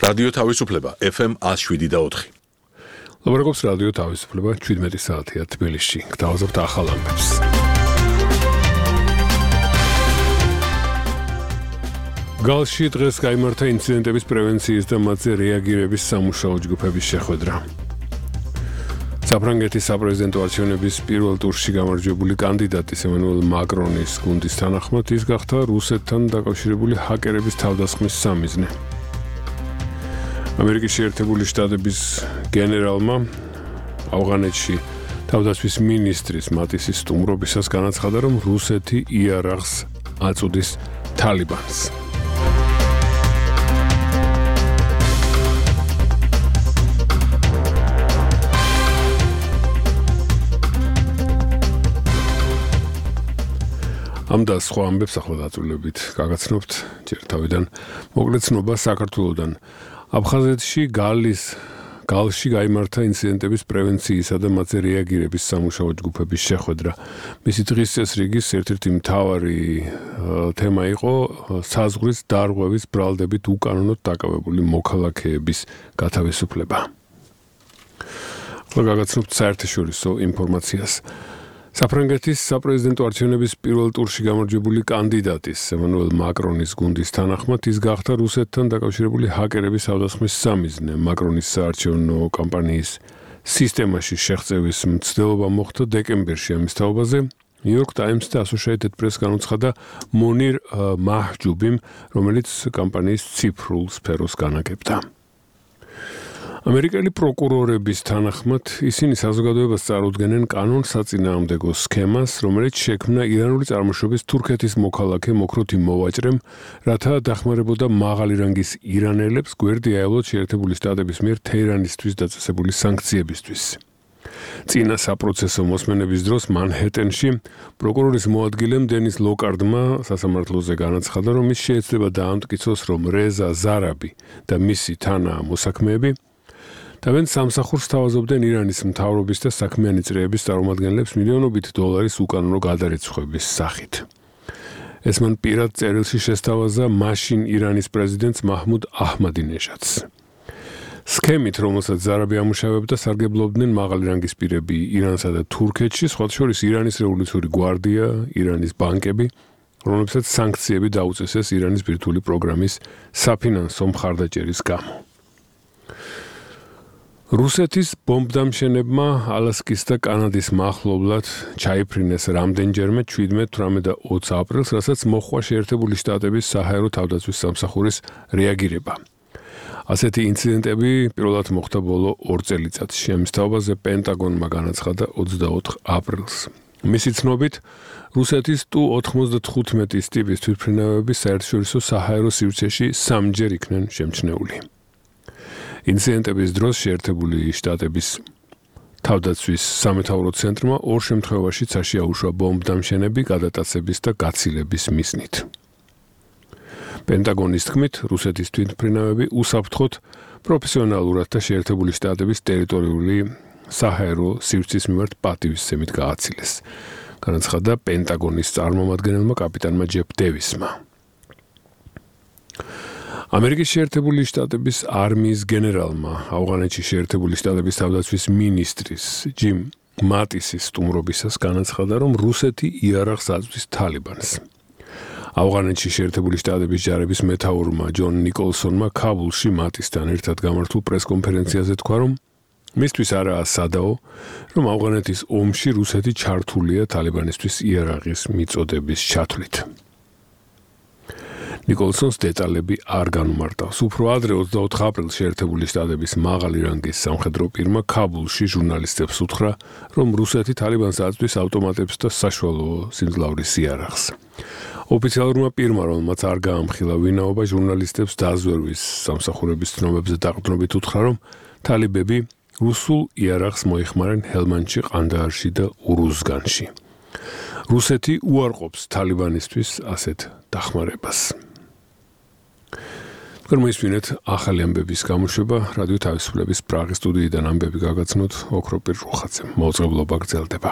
რადიო თავისუფლება FM 107.4. ლაპარაკობს რადიო თავისუფლება 17 საათია თბილისში. გთავაზობთ ახალ ამბებს. გალში დღეს გაიმართა ინციდენტების პრევენციის და მათზე რეაგირების სამუშაო ჯგუფების შეხვედრა. საფრანგეთის საპრეზიდენტო არჩევნების პირველ ტურში გამარჯვებული კანდიდატის ემანუელ მაკრონის გუნდის თანახმად ის გახდა რუსეთთან დაკავშირებული ჰაკერების თავდასხმის სამიზნე. ამერიკის შეერთებული შტატების გენერალმა ავღანეთში თავდაცვის მინისტრის მატისის სტუმრობისას განაცხადა, რომ რუსეთი იარაღს აწუდის თალიბანს. ამ და სხვა ამბებს ახლა დაწვრილებით გაგაცნობთ ჯერ თავიდან მოკლედ ცნობა საქართველოდან. აფხაზეთში გალში გაიმართა ინციდენტების პრევენციისა და მათზე რეაგირების სამუშაო ჯგუფების შეხვედრა. მისი დღის წესრიგის ერთ-ერთი მთავარი თემა იყო საზღვრის დარღვევის ბრალდებით უკანონოდ დაკავებული მოქალაქეების გათავისუფლება. ახლა გაგაცნობთ საერთაშორისო ინფორმაციას. საფრანგეთის საპრეზიდენტო არჩევნების პირველ ტურში გამარჯვებული კანდიდატის ემანუელ მაკრონის გუნდის თანახმად ის გახდა რუსეთთან დაკავშირებული ჰაკერების თავდასხმის სამიზნე. მაკრონის საარჩევნო კამპანიის სისტემაში შეღწევის მცდელობა მოხდა დეკემბერში. ამის თაობაზე New York Times და Associated Press განუცხადა მონირ მაჰჯუბიმ, რომელიც კამპანიის ციფრულ სფეროს განაგებდა. ამერიკელი პროკურორების თანახმად ისინი საზოგადოებას წარუდგენენ კანონსაწინააღმდეგო სქემას, რომელიც შექმნა ირანული წარმოშობის თურქეთის მოქალაქე მოქროთი მოვაჭრემ, რათა დახმარებოდა მაღალი რანგის ირანელებს გვერდი აევლოთ შეერთებული შტატების მიერ თეირანისთვის დაწესებული სანქციებისთვის. წინა საპროცესო მოსმენების დროს მანჰეტენში პროკურორის მოადგილემ დენის ლოკარდმა სასამართლოზე განაცხადა, რომ ის შეეცდება დაამტკიცოს, რომ რეზა ზარაბი და მისი თანა მოსაქმეები თავენ სამსახურს თავაზობდნენ ირანის მთავრობის და საქმიანი წრეების წარმომადგენლებს მილიონობით დოლარის უკანონო გადარიცხვების სახით. ეს მან პირად წერილში შესთავაზა მაშინ ირანის პრეზიდენტს მაჰმუდ აჰმადინეჟადს. სქემით, რომელსაც ზარაბი ამუშავებდა, სარგებლობდნენ მაღალი რანგის პირები ირანსა და თურქეთში, სხვათა შორის ირანის რევოლუციური გვარდია, ირანის ბანკები, რომლებსაც სანქციები დაუწესეს ირანის ბირთვული პროგრამის საფინანსო მხარდაჭერის გამო. რუსეთის ბომბდამშენებმა ალასკის და კანადის მახლობლად ჩაიფრინეს რამდენჯერმე 17, 18 და 20 აპრილს, რასაც მოჰყვა შეერთებული შტატების საჰაერო თავდაცვის სამსახურის რეაგირება. ასეთი ინციდენტები პირველად მოხდა ბოლო 2 წელიწადში. ამის თაობაზე პენტაგონმა განაცხადა 24 აპრილს. მისი ცნობით, რუსეთის Tu-95 ტიპის თვითმფრინავები საერთაშორისო საჰაერო სივრცეში 3-ჯერ იქნენ შემჩნეული. ინციდენტების დროს შეერთებული შტატების თავდაცვის სამეთაურო ცენტრმა 2 შემთხვევაში წაშიაუშვა ბომბდამშენები გადატაცების და გაცილების მიზნით. პენტაგონის თქმით, რუსეთის თვითმფრინავები უსაფრთხოდ პროფესიონალურად და შეერთებული შტატების ტერიტორიული საჰაერო სივრცის მიმართ პატივისცემით გააცილეს. განაცხადა პენტაგონის წარმომადგენელმა კაპიტანმა ჯეფ დევისმა. ამერიკის შეერთებული შტატების არმიის გენერალმა ავღანეთში შეერთებული შტატების თავდაცვის მინისტრის ჯიმ მატისის სტუმრობისას განაცხადა, რომ რუსეთი იარაღს აწვდის თალიბანს. ავღანეთში შეერთებული შტატების ჯარების მეთაურმა ჯონ ნიკოლსონმა ქაბულში მატისთან ერთად გამართულ პრესკონფერენციაზე თქვა, რომ მისთვის არაა სადაო, რომ ავღანეთის ომში რუსეთი ჩართულია თალიბანისთვის იარაღის მიწოდების ჩათვლით. ნიკოლსონს დეტალები არ განუმარტავს. უფრო ადრე 24 აპრილს შეერთებული შტატების მაღალი რანგის სამხედრო პირმა ქაბულში ჟურნალისტებს უთხრა, რომ რუსეთი თალიბანს აწვდის ავტომატებს და საშუალო სიმძლავრის იარაღს. ოფიციალურმა პირმა, რომელმაც არ გაამხილა ვინაობა, ჟურნალისტებს დაზვერვის სამსახურების ცნობებზე დაყრდნობით უთხრა, რომ თალიბები რუსულ იარაღს მოიხმარენ ჰელმანდში, ყანდაარში და ურუზგანში. რუსეთი უარყოფს თალიბანისთვის ასეთ დახმარებას. მოისმინეთ ახალი ამბების გამოშვება რადიო თავისუფლების პრაღის სტუდიიდან ამბები გაგაცნოთ ოქროპირ რუხაძემ. მოუწყებლობა გრძელდება.